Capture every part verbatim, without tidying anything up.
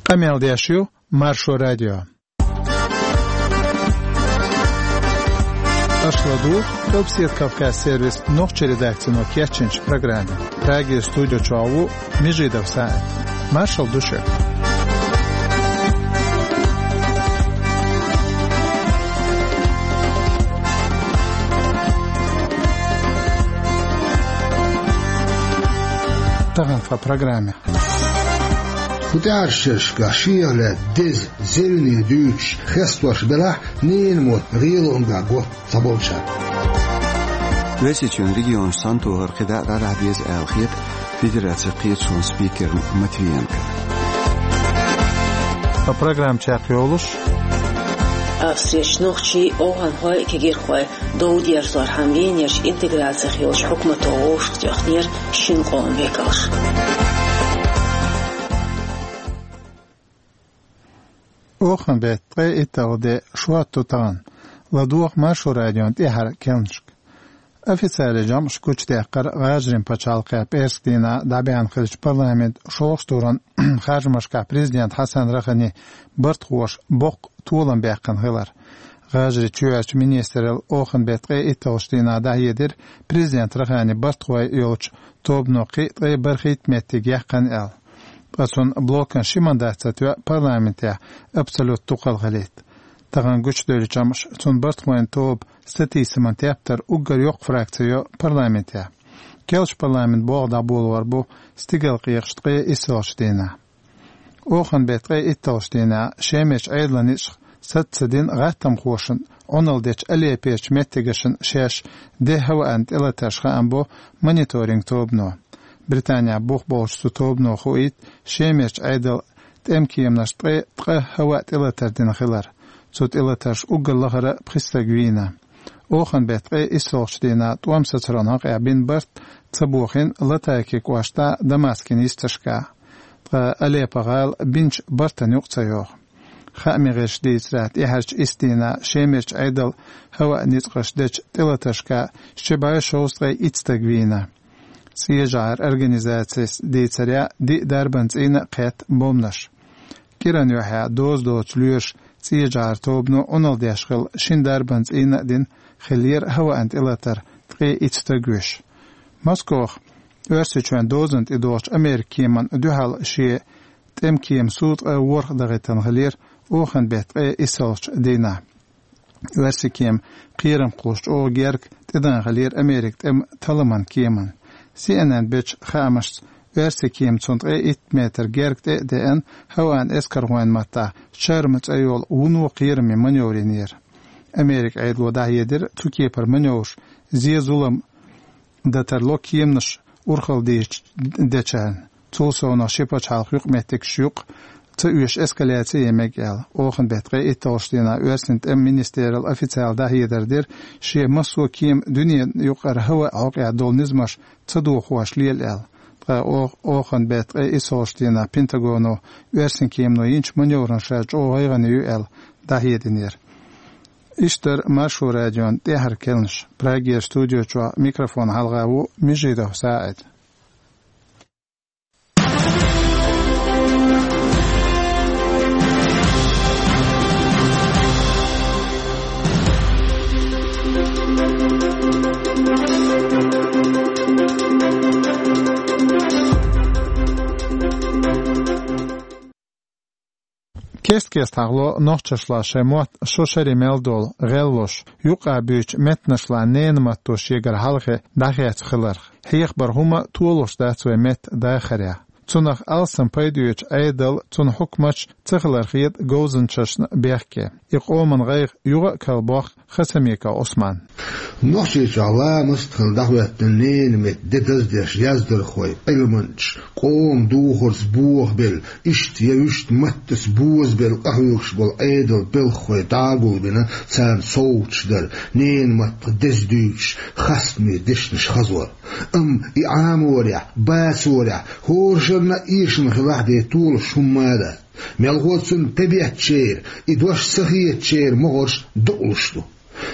Къамел деш ю Маршо радио. Аша ладугӀу Къилбседа Кавказ сервисан нохчийн редакцино кечйинчу программе. Прагера студи чохь ву Межидов СаӀид. Маршалла ду шуьга. Тахана тхан программе. ХӀун тӀаьхьара шерашкахь шех лаьцна деза, зевне дуьйцуш, хестош белахь, ненан мотт гӀелонга го цхьаболчара. Оьрсийчоьнан регионаш цхьаьнатохар кхидӀа а дӀадахьа деза аьлла хета Федерацин кхеташонан спикерна Матвиенкона. Ткъа программа чекхйолуш: Австрерчу нохчийн а, овхӀанхойн а кегийрхой дов дерзорхьама Венерчу интеграцих йолчу хьукмато вовшахтоьхнера шина къоман векалш. Оханан беттан ткъе итталгӀа де, шо а тӀе тахана. ЛадогӀа Маршо радион тӀаьхьара керланашка. Официалан жамӀаш гучудаьккхира ГӀажарийн пачхьалкхехь пӀераскан дийнахь дӀабаьхьна хиллачу парламентан шолгӀачу туран харжамашкахь президент Хьасан Рохани бартахоша боккха толам баьккхина хилар. ГӀажарийн чоьхьарчу министралла оханан беттан ткъе итталгӀачу дийнахь дӀахьедира, президент Рохани бартахой йолчу тобано кхин а ткъе бархӀитта меттиг яьккхина аьлла. Ткъа цунна блокан ши мандат ца тоьа парламентехь абсолютан дукхалла хилийта. Тахана гучудевллачу жамӀаша цунна бартахойн тоба сатийсаман тептар уггар йоккха фракци йо парламентехь. Керлачу парламентан болх дӀаболор бу стигалкъекъаш ткъе иссалгӀачу дийнахь. Оханан беттан ткъе итталгӀачу дийнахь Шемарчу Ӏедалан ницкъах саца ца дина гӀаттамхошна Ӏуналла дечу Алеппочу меттигашна шаьш де хӀаваан тӀелатарш хаам бо мониторинг тобано. Британехь бух болчу цу тобано хуийта Шемарчу Ӏедалан тӀемкеманаш ткъе ткъа хӀаваан тӀелатар дина хилар. Цу тӀелатаршна уггар лахара пхи стаг вийна. Оханан беттан ткъе иссалгӀачу дийнахь тӀом сацаран хьокъехь бина барт ца бохийна Латакия кӀоштахь Дамаскан йисташкахь. Ткъа Алеппо-гӀала бинчу бартана юкъа ца йогӀу. Хаамийн гӀирсаша дийцарехь, тӀаьхьарчу исс дийнахь Шемарчу Ӏедалан хӀаваан ницкъаша дечу тӀелатаршкахь ши бӀе шовзткъе итт стаг вийна. ЦӀен жӀаран организацис дийцарехь, диъ дарбан цӀийнан а кхетта бомбанаш. КӀиран юьххьехь доза доцу лоьраша цӀен жӀаран тобано Ӏуналла деш хилла шина дарбан цӀийнан а дина хиллера хӀаваан тӀелатар, ткъе итт стаг вуьйш. Москвахь Оьрсийчоьнан дозанна тӀедогӀучу Американ кеманна дуьхьал шен тӀемкеман суд ткъе ворхӀ дахийтина хиллера оханан беттан ткъе иссалгӀачу дийнахь. Оьрсийн кема кхерам кхуллуш чӀогӀа герга тӀедеана хиллера Американ тӀеман талламан кеманна. Си Эн Эн бечу хаамашца, оьрсийн кема цунна ткъе итт метр герга тӀе а деана, хӀаваан эскархойн маттахь «Чарма» цӀе йолу вуно кхераман маневр йинера. Американ Ӏедало дӀахьедира цу кепара маневраш зен-зулам дан тарло кеманаш урхалла дийшича дечарна. Цул совнаха ши пачхьалкхан юкъаметтигаш юкъа ца оьшу эскаляци ян мега аьлла. Оханан беттан ткъе итталгӀачу дийнахь оьрсийн тӀеман министралла официалан дӀахьедар дира, шен массо а кема дуьненан юкъара хӀаваан хьокъехь долу низамаш ца дохош лела аьлла. Ткъа о-, оханан беттан ткъе иссалгӀачу дийнахь Пентагоно оьрсийн кемано йинчу маневрана ша чӀогӀа гӀайгӀане ю аьлла дӀахьединера. Иштта дара Маршо радион тӀаьхьара керланаш. Прагера студи чохь микрофон хьалха ву Межидов СаӀид. Кест-кеста хьахало нохчашлахь шайн мотт шо шаре мел долу гӀеллош, юкъа буьйцучу меттанашла ненан матто шегара хьалхе дӀахецна хиларх. Хьехабар хӀума толуш дац вайн меттан дахарехь. Цунах алсам пайда оьцучу Ӏедал, цуьнан хьукматаш ца хилар хета говзанчашна бехке. И къоман гӀайгӀа юха а кхалбоккху Хасамиков Ӏусман. Нохчийчохь ламаст а хилла дӀахӀоьттина ненан меттан де даздеш яздархой, Ӏилманчаш, къоман духарца бохабелла, иштта я вуьшта маттаца бозабелла къахьоьгуш болу Ӏедалан белхахой дӀа а гулбина, царна совгӀаташ дар, ненан маттах деза дуьйцуш, хастаме дешнаш хазор. Амма и Ӏаморехь, бацорехь, хӀоранна а эшам хилахь а бен толуш хӀумма а дац. Мелхо цунна тӀебеттачеран, и дош ца хетачеран могӀарш дукъалуш ду.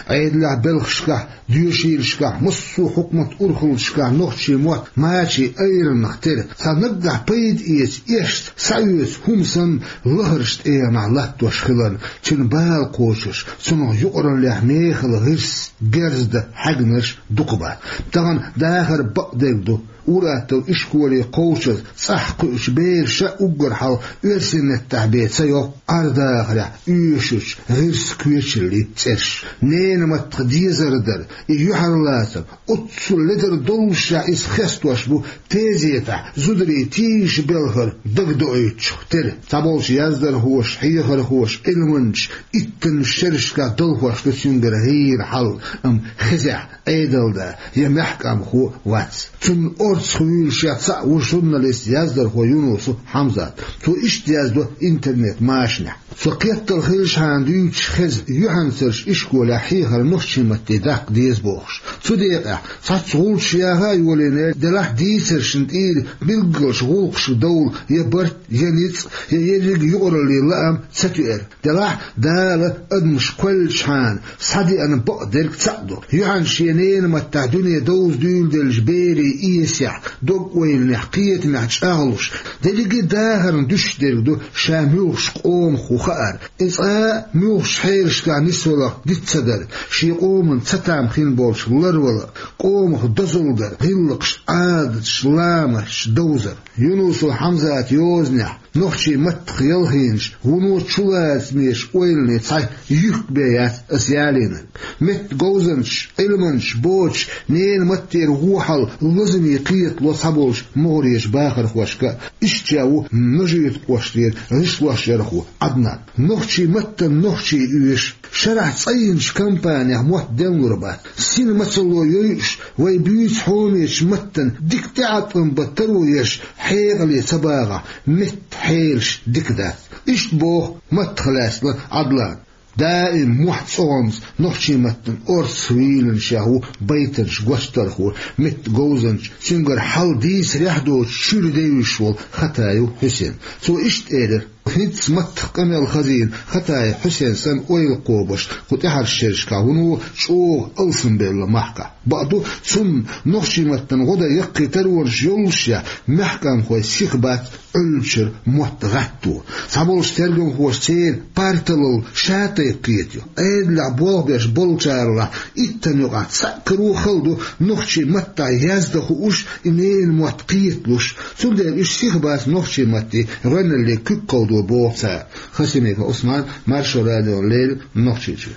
Ӏедалехь белхашкахь, доьшийлашкахь, массо а хьукмат урхаллашкахь нохчийн мотт мачийн айранах тера, цхьа наггахь пайда эца, эшца схьаоьцу хӀума санна, лахарчу тӀегӀанехь латтош хиларна, цуьнан бала кхочурш, цунах юкъараллехь мехала гӀирс, герз дан хьаьгнарш дукха бац. Тахана дахар бакъдерг ду. Ур-атталла ишколе кхочуш, цӀахь кхуьучу бераша уггар хьалха оьрсийн меттехь бен ца йоккху Ӏар-дахарехь оьшучу гӀирсан коьчараллин цӀераш. Ненан маттах дезар дар, и юьхьарлацар, оццул ледар доллушехь иза хестош бу тезетахь зударийн тийжа белхар дагадоуьйтучух тера. Цхьаболчу яздархоша, хьехархоша, Ӏилманчаша иттаннаш шерашкахь далхош ду цуьнгара гӀийра хьал, амма хезехь Ӏедалда я маьхкамхо вац. Цунна орцах вуьйлуш яц цхьаъ ву журналист, яздархо Юнусов Хьамзат. Цо иштта яздо интернет-машанехь: «Со кхеттал хилчхьана дуьйцуш хеза, юьхьанцарш ишколехь хьехар нохчийн матте даккха деза бохуш. Цу декъехь цхьацца гӀулчаш яха а йолийна, делахь дийцаршна тӀера билггалчу гӀуллакхашка довла я барт, я ницкъ, я ерриг юкъараллин лаам ца тоьар. Делахь Дала адамаш кхоьллинчхьана схьадеана бакъдерг цхьаъ ду. Юьхьанца шен ненан маттахь дуьне довза дуьйладеллачу берийн эсехь, дог-ойланехь, кхетамехь чӀагӀлуш, дерриге а дахарна дуьсуш дерг ду ша муьлхачу къомах ву хаар, и цкъа а муьлххачу хьелашкахь нисваларх диц ца дар, шен къоман цатам хин болчух ларвала, къомах дозалла дар, гӀиллакхаш, Ӏадаташ, ламасташ довзар». Юнусов Хьамзатан йозанехь, нохчийн маттах ялхийнчу, вуно чулацамечу ойланийн цхьа юьхк бен яц аса ялийнарг. Меттан говзанчаш, Ӏилманчаш боцуш, ненан маттера вон хьал лазаме кхетало цхьаболчу могӀарерчу бахархошка а. Иштта ву Нажи-Юьртан кӀоштара гӀишлошъярхо Ӏаднан. Нохчийн маттана нохчий оьшу, шарахь цӀанйинчу компанех мотт денлур бац. Сина мацалла йойуш, вай буьйцу хьоменчу маттана дика тӀеӀаткъам бан таро еш, хьекъале ца багӀахь, меттан хьелаш дика дац. Иштта боху маттах лаьцна Ӏадлана. Даим мохь цӀогӀанца нохчийн маттана орцах вийлинчех ву байтанаш гочдархо, меттан говзанча, цуьнгара хьал дийцарехь доцуш чуьра девзаш волу Хатаев Хьусен. Цо иштта элира: «ХӀинцца маттах къамел хазийна Хатаев Хьусен санна ойла кхобуш, кху тӀаьхьарчу шерашкахь вуно чӀогӀа алсамбелла махкахь. Бакъду, цунна нохчийн маттана гӀо дан яккхий таронаш йоллушехь, маьхкамхой сиха бац Ӏуьллучуьра мотт гӀатто. Цхьаболчу тергамхоша церан парталла ша тайпа кхетайо. Ӏедалехь болх беш болчарах иттанна юкъахь цхьаъ каро хала ду нохчийн маттахь яздан хууш, и ненан мотт кхеталуш. Цундела уьш сиха бац нохчийн маттан гӀоьналле куьг кховдо», — боху цара. Хасимиков Ӏусман, Маршо радиона леррина, Нохчийчуьра.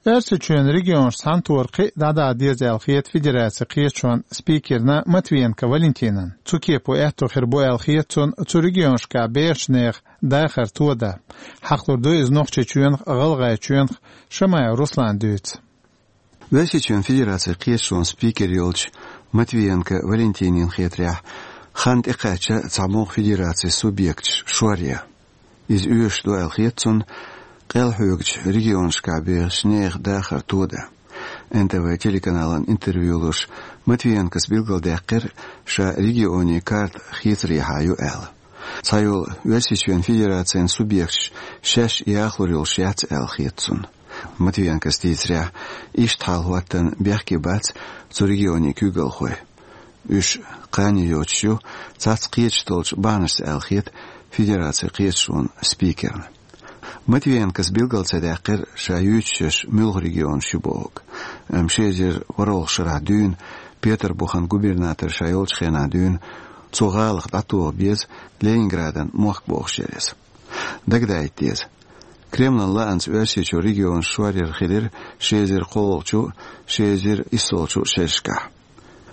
Оьрсийчоьнан регионаш цхьаьнатохар кхин а дӀадала деза аьлла хета федерацин кхеташонан спикерна Матвиенко Валентинана. Цу кепо аьтто хир бу аьлла хета цунна цу регионашкахь бехачу нехан дахар тодан. Хьахалур ду иза Нохчийчоьнах а, ГӀалгӀайчоьнах а. Шамаев Руслана дуьйцу. Оьрсийчоьнан Федерацин кхеташонан спикер йолчу Матвиенко Валентинина хетарехь, хан тӀекхаьчна цхьамогӀа федерацин субъекташ шоръян. Иза оьшуш ду аьлла хета цунна къелхьоьгучу регионашкахь бехачу нехан дахар тодан. Н Т В телеканална интервью луш, Матвиенкос билгалдаьккхира, ша регионийн карта хийцарехьа ю аьлла. Цхьайолу Оьрсийчоьнан Федерацин субъекташ шаьш яхалур йолуш яц аьлла хета цунна. Матвиенкос дийцарехь, иштта хьал хӀоттан бехке бац цу регионийн куьйгалхой. Уьш кхане йоцуш ю цхьацца кхеташ долчу бахьанашца аьлла хета Федерацин кхеташонан спикерна. Матвиенкос билгал ца даьккхира, ша юьйцуш йолуш муьлха регионаш ю бохург. Амма ши эзар ворхӀалгӀачу шарахь дуьйна, Петарбухан губернатор ша йолчу хенахь дуьйна, цу гӀалах дӀатоха беза Ленинградан мохк бохуш яра иза. Дагадаийта деза, Кремлан лаамца Оьрсийчуьра регионаш шоръяр хилира ши эзар кхоалгӀачу, ши эзар иссолгӀачу шерашкахь.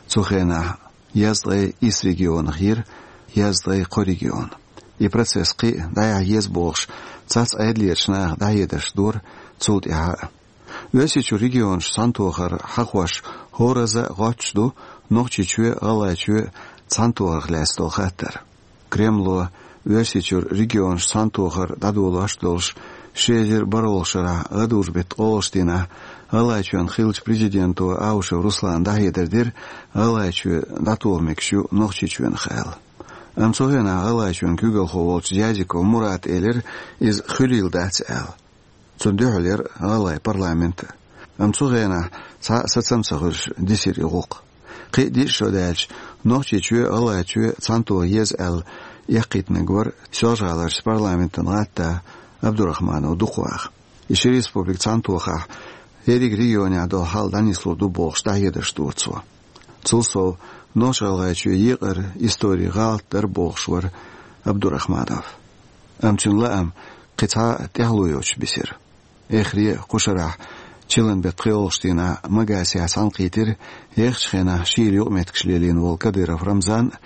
Цу хенахь езткъе исс регионах йира езткъе кхо регион. И процесс кхин а дӀаяхьа еза бохуш, цхьацца Ӏедалерчу наха дӀахьедарш дора цул тӀаьхьа а. Оьрсийчуьра регионаш цхьаьнатохар хьахош хӀоразза а гӀоттуш ду Нохчийчоь а, ГӀалгӀайчоь а цхьаьнатохарх лаьцна долу хаттар. Кремло Оьрсийчуьра регионаш цхьаьнатохар дӀадолош долуш, ши эзар бархӀалгӀачу шарахь гӀадужу-беттан ткъолгӀачу дийнахь ГӀалгӀайчоьнан хиллачу президенто Аушев Руслана дӀахьедар дира, ГӀалгӀайчоь дӀатоха мегаш ю Нохчийчоьнах аьлла. Амма цу хенахь ГӀалгӀайчоьнан куьйгалхо волчу Дязиков Мурата элира, иза хуьлийла дац аьлла. Цунна дуьхьал яра гӀалгӀайн парламент а. Амма цу хенахь цхьа а сацам ца хуьлуш дисира и гӀуллакх. Кхин а диъ шо даьлча, Нохчийчоь а, ГӀалгӀайчоь а цхьаьнатоха еза аьлла, эккхийтинарг вара Соьлжа-ГӀаларчу парламентан гӀатта Абдурахманов Дукхваха. И ши республика цхьаьнатохахь, ерриг регионехь долу хьал дӀанислур ду бохуш, дӀахьедарш дора цо. Цул сов, Нохч-ГӀалгӀайчоь екъара историн гӀалат дара бохуш вара Абдурахманов. Амма цуьнан лаам кхин цхьа а тӀаьхьало йоцуш бисира. Эххар а кху шарахь чиллан беттан кхоалгӀачу дийнахь Магасехь цхьаьнакхийтира ехачу хенахь шийла юкъаметтигаш лелийна волу Кадыров Рамзан а,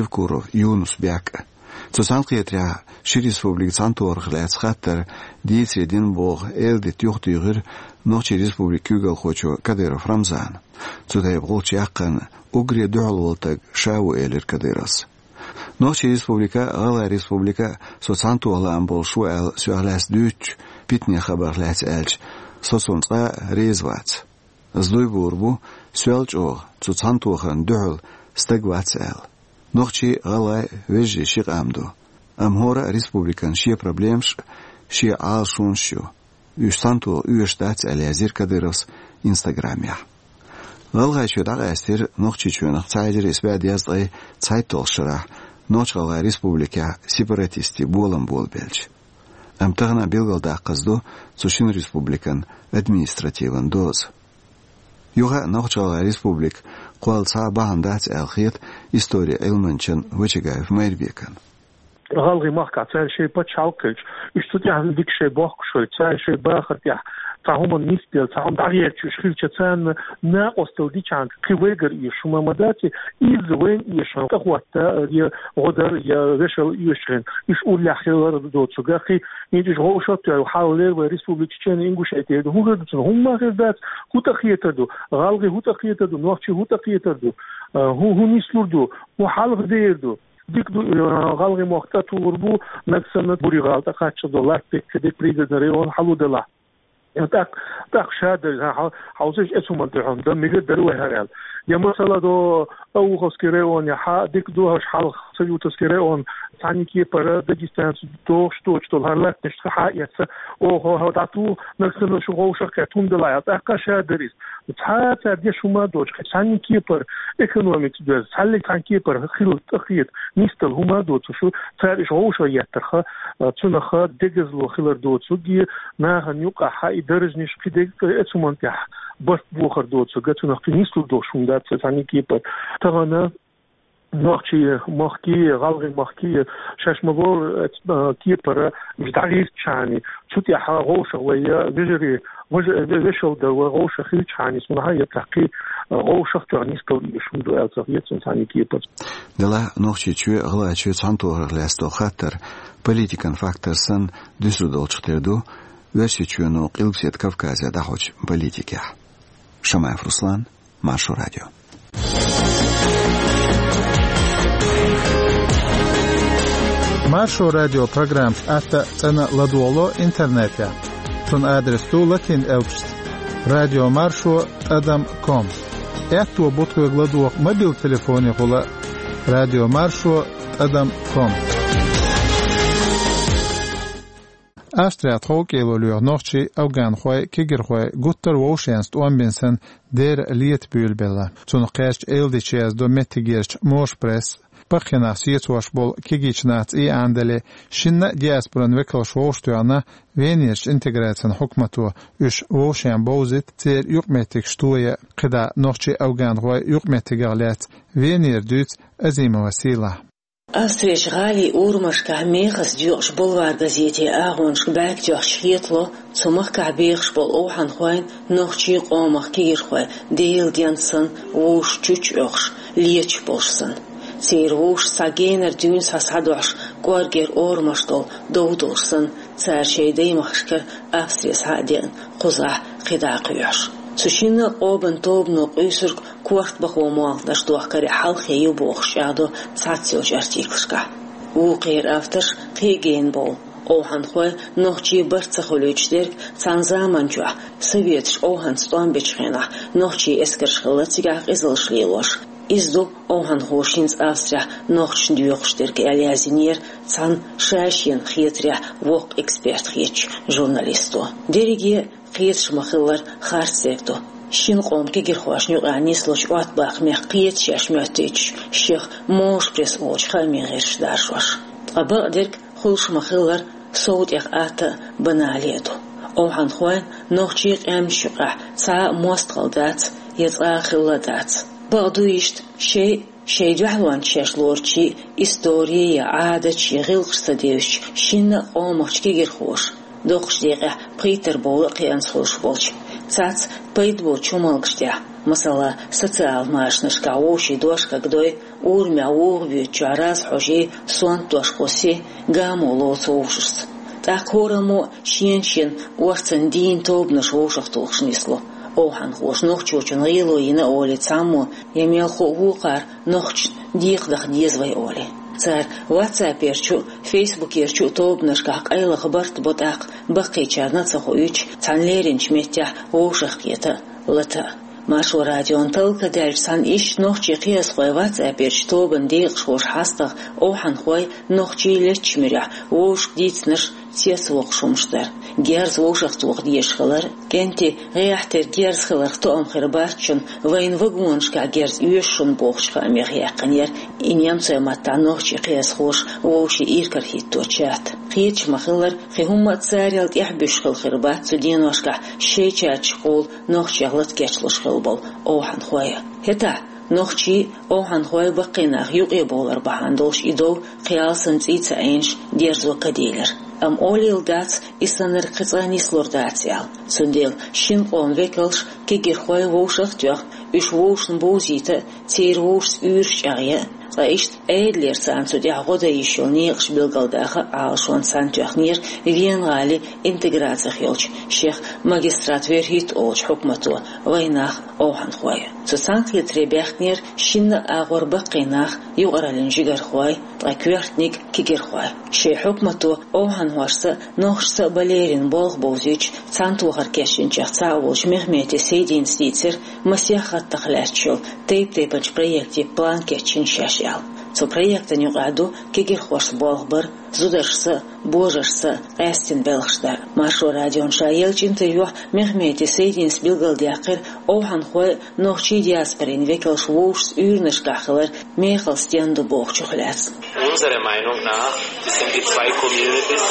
Евкуров Юнус-Бек а. Цу цхьаьнакхетарехь ши республика цхьаьнатохарх лаьцна хаттар дийцаре дина боху эладита юхатуьйхира Нохчийн республикан куьйгалхочо Кадыров Рамзана. Цу тайпа гӀулч яккхарна уггаре дуьхьал волу стаг ша ву, элира Кадыровс. Нохчийн республика а, ГӀалгӀайн республика а со цхьаьнатоха лаам болуш ву аьлла, соьх лаьцна дуьйцучу питанийн хабарх лаьцна аьлча, со цунна цкъа а реза вац. Ас дуй буур бу, соьл чӀогӀа цу цхьаьнатохарна дуьхьал стаг вац аьлла. Нохчий а, гӀалгӀай а вежарий ши къам ду. Амма хӀора а республикан шен проблемаш а, шен Ӏалашонаш а ю. Уьш цхьаьнатоха оьшуш дац, аьлла язйира Кадыровс Инстаграмехь. ГӀалгӀайчоь дӀакъаьстира Нохчийчоьнах цхьа эзар исс бӀе дезткъе цхьайтталгӀачу шарахь Нохч-ГӀалгӀайн республикехь сепаратистийн болам болабелча. Амма тахана билгалдаккхаза ду цу шина республикан административан доза. Юха а Нохч-ГӀалгӀайн республика кхолла цхьа а бахьана дац аьлла хета историн Ӏилманчан Вачагаев Майрбекан. ГӀалгӀайн махкахь цара шайн пачхьалкх хилча, уьш цу тӀехь дика шайн бохкуш хилча, цара шайн бахар тӀехь цхьа хӀуманна нисделла, цхьа хӀума дӀахӀоьттича уьш хилча, царна накъосталла дичахьана кхин вайгара эшаш хӀума ма дац, изза вайна эшаш хӀума тӀехӀотта я гӀо дар, я вешал оьшучу хенахь, уьш уллехь хилар доцург а кхин. ХӀинца уьш вовшах а тоьлла, хьалха леррина вайн республика Чечено-Ингушетия ду, хӀун хир ду цунах? ХӀумма хир дац. ХӀун тӀекхетар ду? ГӀалгӀай хӀун тӀекхетар ду? Нохчий хӀун тӀекхетар ду? А, хӀун, хӀун нислур ду? ХӀун хьалха дер ду? Дика ду, а, гӀалгӀай мохк тӀетуллур бу, нагахь санна Бурий-ГӀала тӀекхаччалц долу латта дерг, дерг Пригородный район хьалха делахь. ТӀаккха, тӀаккха ша дара, хьан, хьан, хьовсийша, эцу хӀуманна тӀехь хӀума дан мегар дара вай хӀара аьлла. Я масала до Обуховский район, я хьан дика ду хӀорш хьалха Саютовский район, цхьана кепара дагестанцаша дохуш доцуш долу хӀара латтанаш хьан эцна, оха хьо дӀатуху, нагахь санна шу вовшах кхетта хӀума делахь аьлла, тӀаккха ша дара иза. Цхьа а цара деш хӀума а доцуш, кхин цхьана кепара экономика доьзна, цхьаьллиг цхьана кепара хила тӀекхета нисдала хӀума а доцуш, цара уьш вовшах еттарх, а, цунах дегазло хилар доцург, и нахана юкъахь и даржнаш кхин дерг эцу хӀуманна тӀехь барт бохар доцург, цунах кхин нислур долуш хӀума дац цхьана кепара. Тахана нохчий махкий, гӀалгӀай махкий, шаьш ма-бохху, э, кепара уьш дӀагӀиртичхьана, цу тӀехь вовшах вай вежарий, вежа-, ве-, вешал дар вай вовшах хилчхьана, цунах а я тӀаккха, э, вовшах тоьхна нисдала оьшуш хӀума ду аьлла ца хета суна цхьана кепара. Делахь Нохчийчоь а, ГӀалгӀайчоь а цхьаьнатохарх лаьцна долу хаттар политикан фактор санна дуьсур долчух тера ду Оьрсийчоьно Къилбаседа Кавказе дӀахьочу политикехь. Шамаев Руслан, Маршо радио. Маршо радио программаш атта а, цӀена а ладогӀало интернетехь. Цуьнан адрес ду латин элпашца: радио маршо тӀадам ком. Аьтто бу тхоьга ладогӀа мобил телефонехула: радио маршо тӀадам ком. Австрехь тховкӀело лоьху нохчий, афганхой, кегирхой гуттар а вовшашца тӀом бина санна, дера лета буьйлабелла. Цунах кхаьчча, эладитанаш яздо меттигерчу Моша Пресс. Пхи нах сецош болу кегийчу нахаца и Ӏандале, шинна а диаспоран векалш вовшахтоьхна Венерчу интеграцин хьукмато, уьш вовшашна бовзийта, церан юкъаметтигаш тоя. КхидӀа нохчий, афганхой юкъаметтигах лаьцна Венера дуьйцу Азимова Сийлахьа. Австрерчу гӀалин урамашкахь мехаза доькъуш «Булвар» газетан агӀонашка бӀаьрг тоьхча хетало, цу махкахь бехаш болу овхӀанхойн, нохчийн къомах кегирхойн Делан денна санна вовшашна чучча оьхуш, леташ болуш санна. Церан вовшашца цхьа генара дуьйна схьа схьадохьуш, кӀоргера орамаш долу дов долуш санна, цара шайн даймахкара Австре схьа а деана, кхузахь кхидӀа а кхоьхьуш. Цу шинна а къобан тобано къуьйсург корта бахо молханаш дохкаре хьалхе ю бохуш чӀагӀдо цхьацца йолчу артиклашкахь. Вукхеран авторш кхин а гена бовлу. Овхьанхой нохчийн барт ца хуьлуьйтуш дерг цхьана заманчохь, советаш овхьанца тӀом бечу хенахь, нохчийн эскарш хилла цигахь къизаллаш лелош. Иза ду овхьанхоша хӀинца Австрехь нохчашна доькъуш дерг, аьлла яздинера цхьана ша-шена хетарехь воккха эксперт хетачу журналисто. Дерриге а кхеташ ма-хиллара, харцдерг ду. Шин къоман кегирхошна юкъахь нислучу Ӏоттабахамех кхета шаьш моьттуьйтуш, шех Можа пресс олучу хаамийн гӀирсаша даржош. Ткъа бакъдерг, хуьлуш ма-хиллара, сов тӀех атта а, банале а ду. Овхьанхойн, нохчийн къаьмнаш юкъахь цхьа а мостагӀалла дац я цкъа а хилла дац. Бакъду иштта, шайн, шайн дуьхьалонца шаьш лоручийн истори я Ӏадаташ я гӀиллакхаш ца девзича, шинна а къомахчу кегирхоша доккхачу декъехь пхийттара бовла а кхиъна хуьлуш болчу. Цхьацца пайда боцучу хӀуманаш тӀехь, масала, социал машанашкахь вовшийн дош кагдой, урамехь вуха буьйцучохь раз хьожий, сонта дош кхуссий, гамо лоцу вовшашца. ТӀаккха хӀораммо а шена-шена орцанна дийна тобанаш вовшахтухуш нисло. Овхьанхоша нохчочун гӀело йина олий цхьаммо я мелхо а вукхара нохчашна декхадаха деза вай олий. Цара ватсаперчу а, фейсбукерчу а тобанашкахь къайлаха барт бо, тӀаккха баккхийчарна а ца хоуьйтуш, цхьана леринчу меттехь вовшахкхета а, лата а. Маршо радион талла ка даьлча, цхьана иштта нохчийн кхиазхойн ватсаперчу тобанан декъашхоша хьастагӀа овхьанхой нохчийн леттачу муьрехь вовшашка дийцинарш цецвоккхуш хӀумнаш дара. Герз вовшахтоха дезаш хилар, кӀентий гӀехьа тера герз хиларх тоам хир бац шуна, вайна вагонашкахь герз оьшу шуна бохучу хаамех яьккхинера и немцойн маттахь нохчийн кхиазхоша вовшийн иракарахӀитто чат. Кхеташ ма-хиллара, кхин хӀумма а царел тӀаьхьабуьсуш хилла хир бац цу деношкахь шайн чаташкахула нохчех лата кечлуш хилла болу овхьанхой а. ХӀетахь нохчий а, овхьанхой а баккхий нах юкъе бовлар бахьана долуш и дов кхин алсам цӀий ца Ӏийнаш дерзо ка дийлира. Амма олийла дац, и саннарг кхин цкъа нислур дац аьлла. Цундела шин къоман векалш, кегирхой вовшах а тоьхна, уьш вовшашна бовзийта а, церан вовшашца уьйраш чӀагӀъя а, ткъа иштта Ӏедалера царна цу тӀехь гӀо дан йиш йолу некъаш билгалдаха а Ӏалашонца цхьаьна тоьхнера Вена-гӀалин интеграцих йолчу шех магистрат верхӀитта олучу хьукмато вайнах а, овхьанхой а. Цу цхьаьнакхетаре баьхкинера шинна а агӀор баккхий нах, юкъараллин жигархой, ткъа коьртаниг кегирхой. Шайн хьукмато овхьанхошца а, нохчашца а бан лерина болх бовзуьйтуш, цхьаьнатохар кечйинчех цхьаъ волчу Мехмети Сайдинас дийцира масех хаттах лаьтташ йолу тайп-тайпанчу проектийн план кечйина шаьш аьлла. Цу проектан юкъахь ду кегирхошца болх бар, зударшца а, божаршца а къаьстина белхаш дар. Маршо радион ша еллачу интервьюхь Мехмети Сайдинас билгалдаьккхира овхьанхой а, нохчийн диаспорин векалш вовшашца уьйранашкахь хилар мехала стенна ду бохучух лаьцна. Unserer Meinung nach sind die zwei Communities,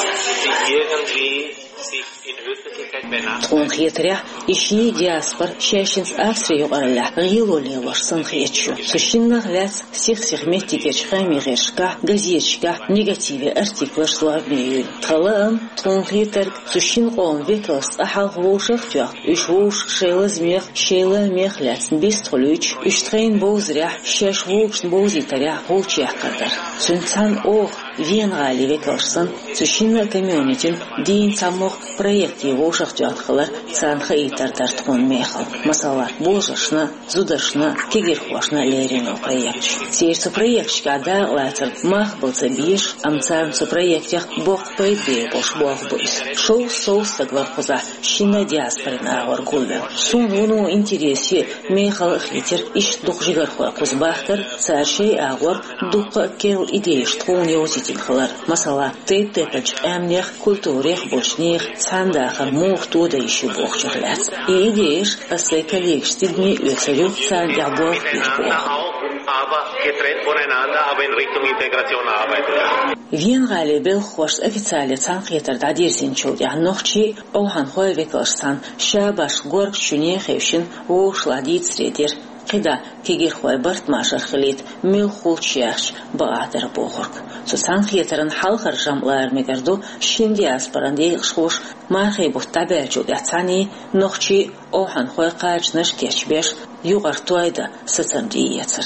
die irgendwie sich in Öffentlichkeit benachteiligen. Тхуна хетарехь, и ши диаспора шаьшшинца Австри юкъараллехь гӀело лелош санна хеташ ю. Цу шиннах лаьцна сих-сиха меттигерчу хаамийн гӀирсашкахь, газеташкахь негативе артиклаш зорбане юьйлу. Тхан лаам, тхуна хетарг, цу шин къоман векалш цкъа хьалха вовшах а тоьхна, уьш вовшашка шайн лазамех, шайн лаамех а лаьцна бистхуьлуьйтуш, уьш тхайна бовзарехь, шаьш вовшашна бовзийтарехь гӀулч яккхар дара. Цуьнца цхьаьна оха, Вена-гӀалин векалш санна, цу шинна а комьюнитин дийна цхьамогӀа проекте вовшах а тоьхна хилар царна хаийтар дара тхуна мехала. Масала, божаршна, зударшна, кегирхошна лерина йолу проекташ. Церан цу проекташкахь дакъалацарна мах бала ца безаш, амма царна цу проектех боккха пайда бер болуш болх бу иза. Шовзткъа сов стаг вара кхузахь шинна а диаспорин агӀор гулвелла. Суна вуно интересе а, мехала а хийтира иштта дукха жигархой кхуза бахкар, цара шайн агӀор дуккха а керла идеяш тхуна йовзийтина хилар. Масала, тайп-тайпанчу къаьмнех, культурех болчу нехан цхьаьна дахар муха тодан йиш ю бохучух лаьцна. И идеяш ас сайн коллегашца тидаме а оьцур ю, царна тӀехь болх бийр бу оха. Aber getrennt voneinander, aber in Richtung Integration arbeiten. Вена-гӀалин белхахошца официале цхьаьнакхетар дӀадирзинчул тӀаьхьа нохчийн а, овхьанхойн а векалш санна, ша башха горгачу шуьне а хевшина, вовшашлахь дийцаре дира. КхидӀа кегирхой барт-машар хилийта муьлхха хуьлуш яхча бакъахь дара бохург. Цу цхьаьнакхетаран хьалхара жамӀ лара мегар ду шина диаспоран декъашхоша мархийн бутт дӀабаьллачул тӀаьхьа цхьаьний, нохчий а, овхьанхой а кхачанаш а кечбеш, юкъара той дан сацам тӀеэцар.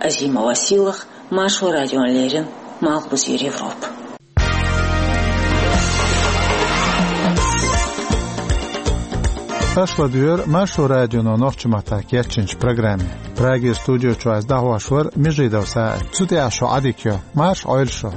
Азима Василах, Маршо радиона леррина, Малхбузера Европа. Аша ладуьйгӀира Маршо радионо нохчийн маттахь кечйинчу программе. Прагера студи чуьра ас дӀахьош вара Межидов СаӀид. Цу тӀехь шун Ӏадика йо. Марша Ӏойла шу.